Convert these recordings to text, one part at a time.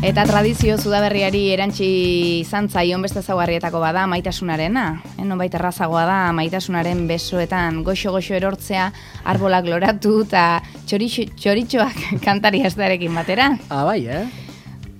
Eta tradizio Udaberriari erantzi izan zaion beste ezaugarrietako bada maitasunarena. Nonbait errazagoa da maitasunaren besoetan goxo-goxo erortzea, arbolak loratu eta txoritxoak kantari hastearekin batera. Bai,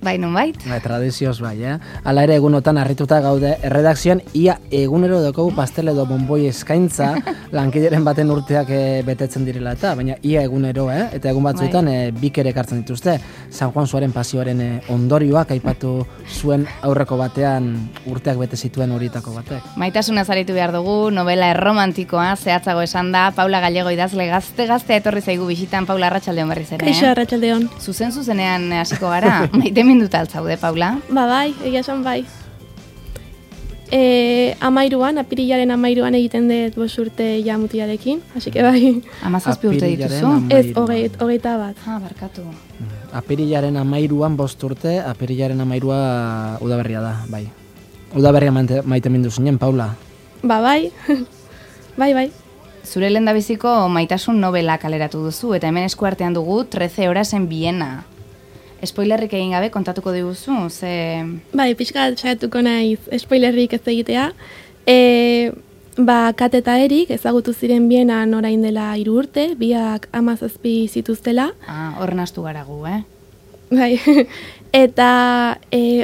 Bai, nonbait? Tradizioz bai, Hala ere egunotan harrituta gaude erredakzioan ia egunero daukagu pastel edo bonboi eskaintza lankideren baten urteak betetzen direla eta, baina ia egunero, eta egun batzuetan bik ere ekartzen dituzte. San Juan Suaren pasioaren ondorioak aipatu zuen aurreko batean urteak bete zituen horietako batek. Maitasuna zaritu behar dugu, novela erromantikoa, zehatzago esan da, Paula Gallego idazle gazte etorri zaigu bisitan. Paula, arratsaldeon berriz ere. Kaixo, arratsaldeon. Zuzenean hasiko gara, maite minduta altzaude, Paula? Bai, egia esan bai. 13an, apirilaren 13an egiten dut 5 urte ja mutilarekin, hasi que bai. 17 urte dituzu? Ez, 21. Barkatu. Apirilaren 13an 5 urte, apirilaren 13a udaberria da, bai. Udaberria maite mindu zinen, Paula? Bai. Bai. Zure lehendabiziko maitasun novela kaleratu duzu, eta hemen eskuartean dugu 13 horas en Viena. Spoilerrik egin gabe kontatuko diguzu, ze... Bai, pixka saiatuko naiz spoilerrik ez egitea. Kate eta Erik ezagutu ziren Bienan orain dela 3 urte, biak 17 zituztela. Horren astu gara gu, Bai, eta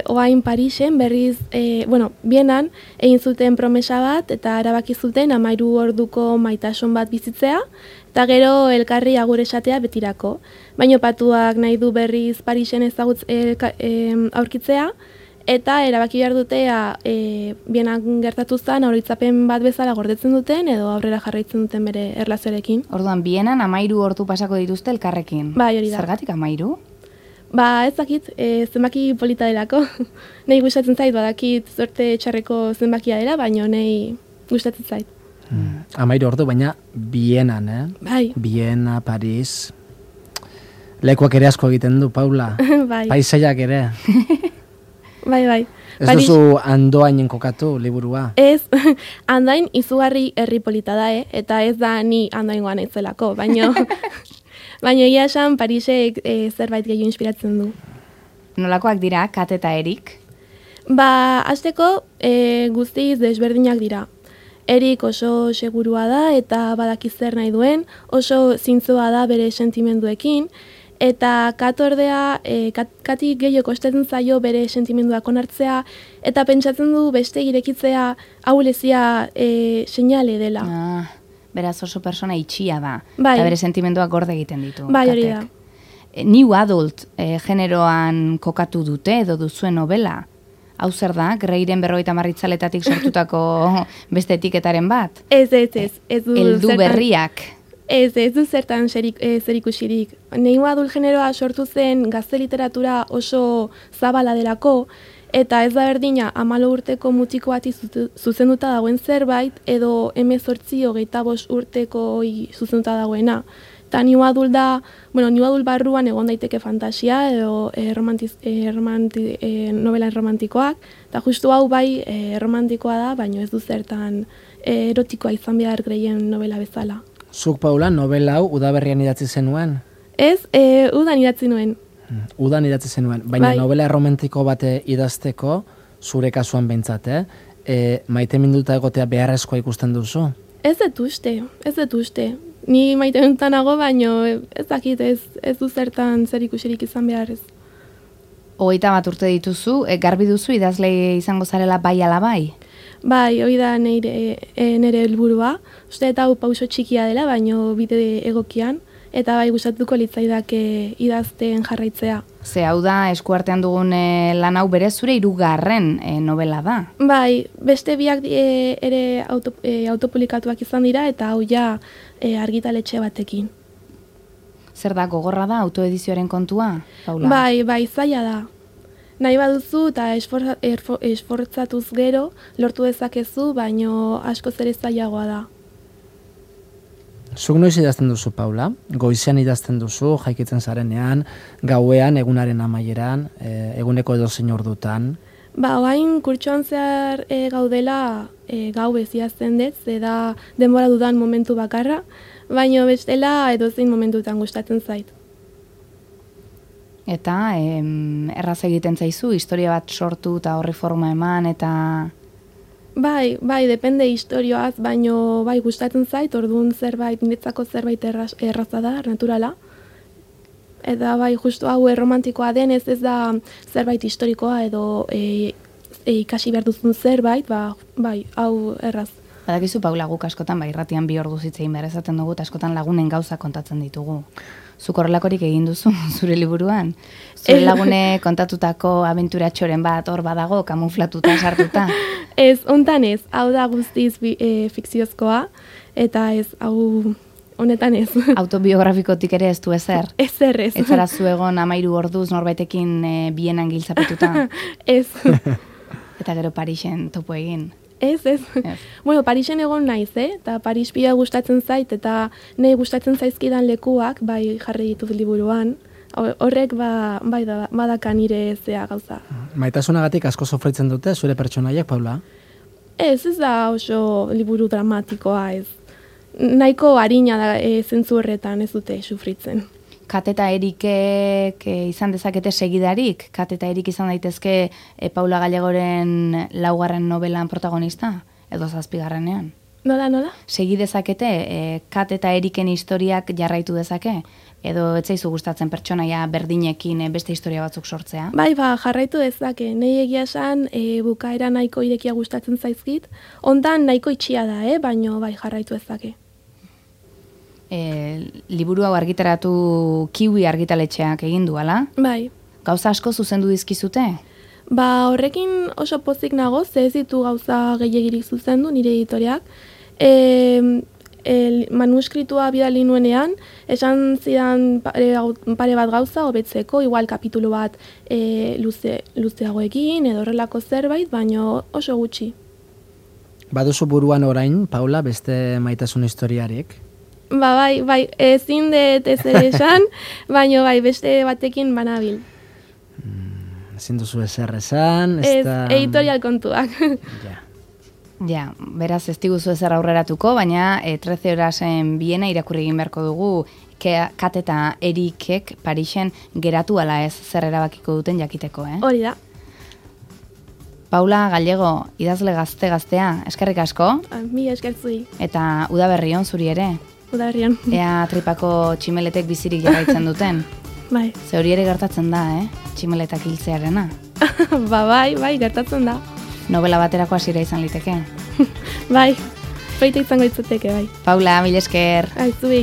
oain Parisen berriz, Bienan egin zuten promesa bat, eta erabaki zuten 13 orduko maitasun bat bizitzea, eta gero elkarri agur esatea betirako. Baina patuak nahi du berriz Parisen aurkitzea, eta erabaki behar dutea Bienan gertatu zen oroitzapen bat bezala gordetzen duten, edo aurrera jarraitzen duten bere erlazioarekin. Orduan, Bienan 13 ordu pasako dituzte elkarrekin. Bai, hori da. Zergatik 13? Ez dakit, zenbaki polita delako. Nahi gustatzen zait, badakit zorte txarreko zenbakia dela, baina nahi gustatzen zait. 13 ordu, baina Bienan, Bai. Viena, Paris... Lekuak ere asko egiten du, Paula. Bai. Paisaiak ere. Bai. Ez duzu Andoainen kokatu liburua? Ez, Andoain izugarri herri polita da, eta ez da ni Andoaingoan naizelako, baina egia esan Parisek zerbait gehiago inspiratzen du. Nolakoak dira, Kate eta Erik? Hasteko guztiz desberdinak dira. Erik oso segurua da eta badaki zer nahi duen, oso zintzoa da bere sentimenduekin, eta Kat ordea, Kati gehiago kostatzen zaio bere sentimenduak onartzea, eta pentsatzen du beste irekitzea ahulezia seinale dela. Beraz oso persona itxia da, bai. Eta bere sentimenduak gorde egiten ditu. Bai, hori da. New Adult generoan kokatu dute edo duzuen novela. Hau zer da, Greiren 50 itzaletatik sortutako beste etiketaren bat? Ez. Heldu berriak. Ez du zertan zerikusirik. New Adult generoa sortu zen gazte literatura oso zabala delako, eta ez da berdina 14 urteko mutiko bati zuzenduta dagoen zerbait, edo 18-25 urteko zuzenduta dagoena. Eta New Adult da, New Adult barruan egon daiteke fantasia edo novela erromantikoak, eta justu hau bai erromantikoa da, baina ez du zertan erotikoa izan behar Greien novela bezala. Zuk, Paula, novela hau udaberrian idatzi zenuen? Ez, udan idatzi nuen. Udan idatzi zenuen, baina bai. Novela erromantiko bate idazteko, zure kasuan behintzat, maite minduta egotea beharrezkoa ikusten duzu? Ez dut uste. Ni maite minduta nago, baina ez dakit, ez du zertan zer ikusirik izan beharrez. 21 urte dituzu, garbi duzu idazle izango zarela bai ala bai? Bai, hori da nire helburua. Uste eta hau pauso txikia dela, baina bide egokian. Eta bai gustatuko litzaidake idazten jarraitzea. Ze hau da eskuartean dugun lan hau berez zure 3. Novela da. Bai, beste biak ere autopublikatuak izan dira eta hau ja argitaletxe batekin. Zer da, gogorra da autoedizioaren kontua, Paula? Bai, zaila da. Nahi baduzu eta esfortzatuz gero lortu dezakezu, baino asko ere zailagoa da. Zuk noiz idazten duzu, Paula? Goizean idazten duzu, jaikitzen zarenean, gauean, egunaren amaieran, eguneko edozein ordutan? Oain kurtsoan zehar gaudela gau idazten dut, ze da denbora dudan momentu bakarra, baina bestela edozein momentutan gustatzen zait. Eta erraz egiten zaizu, historia bat sortu eta horri forma eman, eta... Bai, depende historioaz, baino bai gustatzen zait, orduan zerbait, niretzako zerbait erraza da, naturala. Eta bai, justu hau erromantikoa denez, ez da zerbait historikoa edo ikasi behar duzun zerbait, bai, hau erraz. Badakizu, Paula, guk askotan, irratian 2 ordu zitzein behar ezaten dugu, eta askotan lagunen gauza kontatzen ditugu. Zuk horrelakorik egin duzu, zure liburuan? Zure lagune kontatutako abenturatxoren bat hor badago, kamuflatuta, sartuta? Ez, hontan ez, hau da guztiz fikziozkoa, eta ez, hau honetan ez. Autobiografikotik ere ez du ezer? Ezer ez. Ez zara zuegon 13 orduz norbaitekin bienan giltzapetuta? Ez. Eta gero Parisen topo egin? Ez. Bueno, Parisen egon naiz, eta Paris pila gustatzen zait, eta nahi gustatzen zaizkidan lekuak, bai jarri ditut liburuan. Horrek badaka nire zea gauza. Maitasunagatik asko sofritzen dute zure pertsonaiak, Paula? Ez da oso liburu dramatikoa, ez. Nahiko harina da zentzu horretan ez dute sufritzen. Kate eta Erikek izan dezakete segidarik? Kate eta Erik izan daitezke Paula Gallegoren 4. novelan protagonista? Edo 7. Nola? Segi dezakete Kate eta Eriken historiak jarraitu dezake? Edo ez zaizu gustatzen pertsonaia berdinekin beste historia batzuk sortzea? Bai, jarraitu dezake. Nei egia esan bukaera nahiko irekia gustatzen zaizkit. Ondan nahiko itxia da, baino bai jarraitu dezake. Liburu hau argitaratu Kiwi argitaletxeak egin du, ala? Bai. Gauza asko zuzendu dizkizute? Horrekin oso pozik nago, ze ez ditu gauza gehiegirik zuzendu nire editoriak. Manuskritua bidali nuenean, esan zidan pare bat gauza hobetzeko, igual kapitulu bat luzeagoekin edo horrelako zerbait, baino oso gutxi. Baduzu buruan orain, Paula, beste maitasun historiarik? Bai, ezin dut ez ere esan, baino bai, beste batekin banabil. Ezin duzu ezer esan, ez editorial kontuak. Ja, beraz ez diguzu ezer aurreratuko, baina 13 horasen biena irakurri egin beharko dugu Kate eta Erikek Parisen geratu ala ez zer erabakiko duten jakiteko, Hori da. Paula Gallego, idazle gaztea, eskerrik asko. Mi eskertzui. Eta udaberri on zuri ere. Udaberrian. Ea tripako tximeletek bizirik jarraitzen duten. Bai. Ze hori ere gertatzen da, tximeletak hiltzearena. Bai, gertatzen da. Novela baterako hasiera izan liteke. Bai, baita izango itzuteke, bai. Paula, mil esker. Aizu